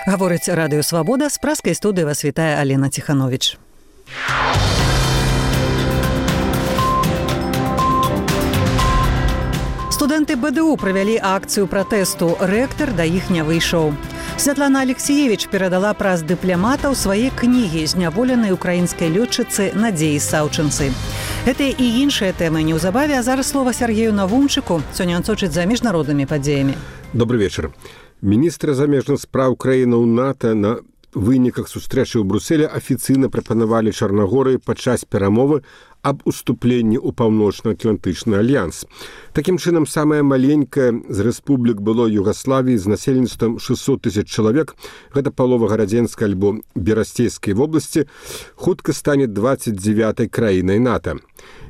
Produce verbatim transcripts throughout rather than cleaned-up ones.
Гаворыць радыё «Свабода», з праскай студыі вас вітае Алена Ціхановіч. Студэнты БДУ правялі акцыю пратэсту. Рэктар да іх не выйшаў. Святлана Алексеевич перадала праз дыпламатаў свае кнігі зняволенай украінскай лётчыцы Надзеі Саўчынцы. Гэтыя і іншыя тэмы неўзабаве, а зараз слова Сергею Навумчыку. Сёння ён сочыць за міжнароднымі падзеямі. Добрый вечар. Міністр замежных спраў краін у НАТО на выніках сустрэчы ў Брусэлі афіцыйна прапанавалі Чарнагорыі падчас перамовы аб уступленні ў паўночна-атлантычны альянс. Такім чынам, самая маленькая з рэспублік было Югаславіі з насельніцтвам шэсцьсот тысяч чалавек, гэта палова гарадзенскай альбо берасцейскай вобласці, хутка стане дваццаць дзевятай краінай НАТО.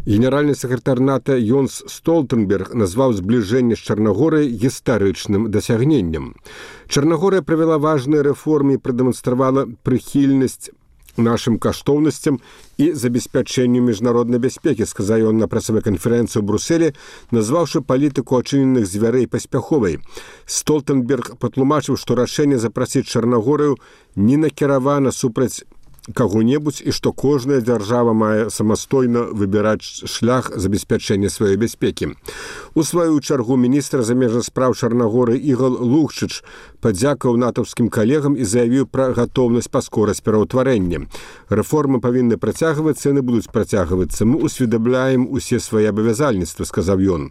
Генеральны сакратар НАТО Йонс Столтенберг назваў збліжэнне з Чарнагорай гістарычным дасягненнем. Чарнагорыя правяла важныя рэформы і прадэманстравала прыхільнасць нашим каштоўнасцям і забеспячэнню міжнароднай бяспекі, сказаў ён на прасавой канферэнцыі ў Брусэлі, назваўшы палітыку ачыненых звярэй паспяховай. Столтенберг патлумачыў, што рашэнне запрасіць Чарнагорыю не накіравана супраць каго-небудзь і што кожная дзяржава мае самастойна выбіраць шлях забеспячэння сваёй бяспекі. У сваю чаргу міністр замежных спраў Чарнагорыі Ігор Лукшыч падзякаваў натаўскім калегам і заявіў пра гатоўнасць паскораць пераўтварэння. Рэформы павінны працягвацца, яны будуць працягвацца. Мы усведамляем усе свае абавязальніцтвы, сказаў ён.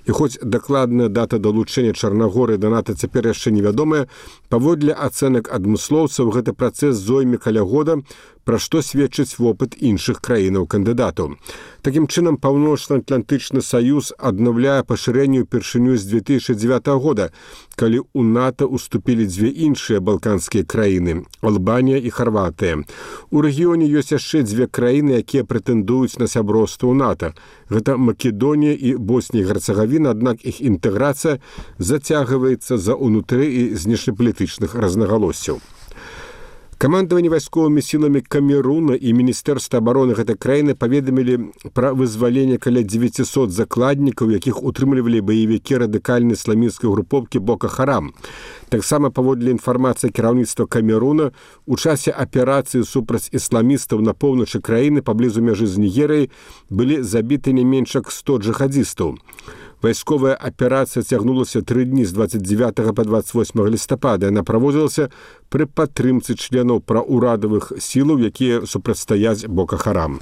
І хоць дакладная дата далучэння Чарнагорыі да НАТО цяпер яшчэ невядомая, паводле ацэнак адмыслоўцаў гэты працэс зойме каля года, пра што сведчыць вопыт іншых краінаў-кандыдатаў. Такім чынам, Паўночна-Атлантычны саюз аднаўляе пашырэнне ўпершыню з две тысячы дзевятага года, калі ў НАТО уступілі дзве іншыя балканскія краіны – Албанія і Харватыя. У рэгіёне ёсць яшчэ дзве краіны, якія прэтэндуюць на сяброўства ў НАТО. Гэта Македонія і Боснія і Герцагавіна, аднак іх інтэграцыя зацягваецца за ўнутры і знешнепалітычных рознагалоссяў. Камандаванне вайсковымі сіламі Камеруна і Міністэрства абароны гэтай краіны паведамілі пра вызваленне каля дзевяцісот закладнікаў, якіх утрымлівалі баевікі радыкальнай ісламісцкай групоўкі Бока Харам. Таксама паводле інфармацыі кіраўніцтва Камеруна, у часе аперацыі супраць ісламістаў на поўначы краіны паблізу мяжы з Нігерыяй былі забіты не менш як сто джихадзістаў. Вайсковая аперацыя цягнулася тры дні з дваццаць дзевятага па дваццаць восьмага лістапада. Яна праводзілася пры падтрымцы членаў праўрадавых сілаў, якія супрацьстаяць Бока Харам.